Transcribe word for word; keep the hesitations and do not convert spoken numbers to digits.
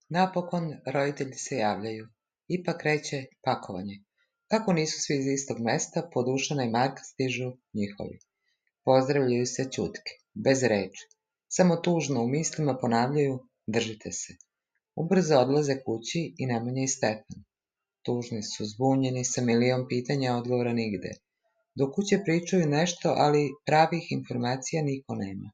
Napokon roditelji se javljaju. Ipak kreće pakovanje. Kako nisu svi iz istog mesta, po Dušana i Marka stižu njihovi. Pozdravljaju se ćutke, bez reči. Samo tužno u mislima ponavljaju držite se. Ubrzo odlaze kući i Nemanja i Stefan. Tužni su, zbunjeni, sa milion pitanja, odgovora nigde. Do kuće pričaju nešto, ali pravih informacija niko nema.